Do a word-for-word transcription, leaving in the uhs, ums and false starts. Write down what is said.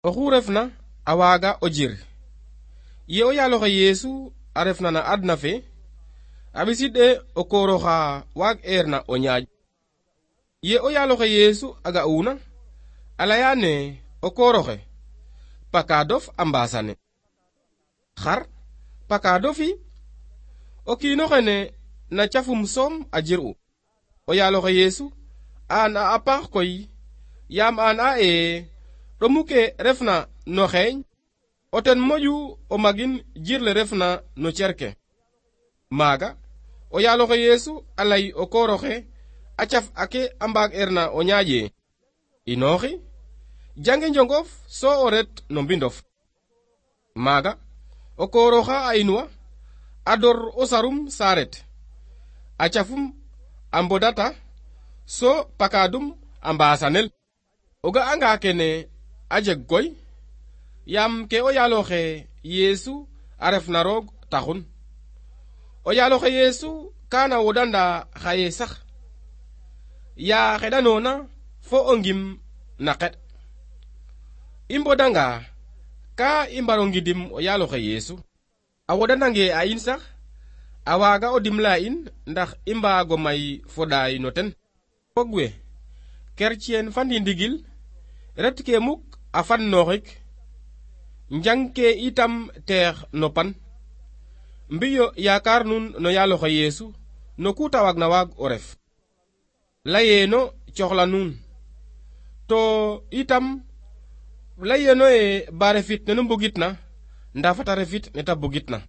oxu refna a waaga o jir ye o yaaloxe Yeesu a refna na adna fe a ɓiside o kooroxa waag eerna o ñaaƴ. Ye o yaaloxe Yeesu a ga'una a leyane o kooroxe pakaadof a mbaasane xar pakaadofi o kiinoxene na cafum soom a jir'u. O yaaloxe Yeesu aan a a paax koy yaam aan a e ɗomu ke refna no xeeñ o ten moƴu o magin jirle refna no cerke. Maaga o yaaloxe Yeesu a lay o kooroxe a caf ake a mbaag erna o ñaaƴe inooxi jange njongof so o ret no mbindof. Maaga o kooroxa a inwa a dor o sarum saaret a cafum a mbodata so pakaadum a mbaasanel. O ga'anga kene a jeg goy yaam ke o yaaloxe Yeesu a refna roog taxun. O yaaloxe Yeesu kaana wodanda xaye sax yaa xeɗanoona fo o ngim na qeɗ. I mbodanga ka i mbaro ngidim o yaaloxe Yeesu a wodanange a in sax a waaga o dimle a in ndax i mbaago may foɗaay no ten. Fog we kerceen fa ndindigil ret ke muk a fan nooxik njang ke itam teex no pan mbiyo yaakar nun no yaaloxe Yeesu no ku ta waag na waag o ref layeeno coxla nuun to itam layeeno e ba refit nenu mbugitna nda fata refit neta bugitna.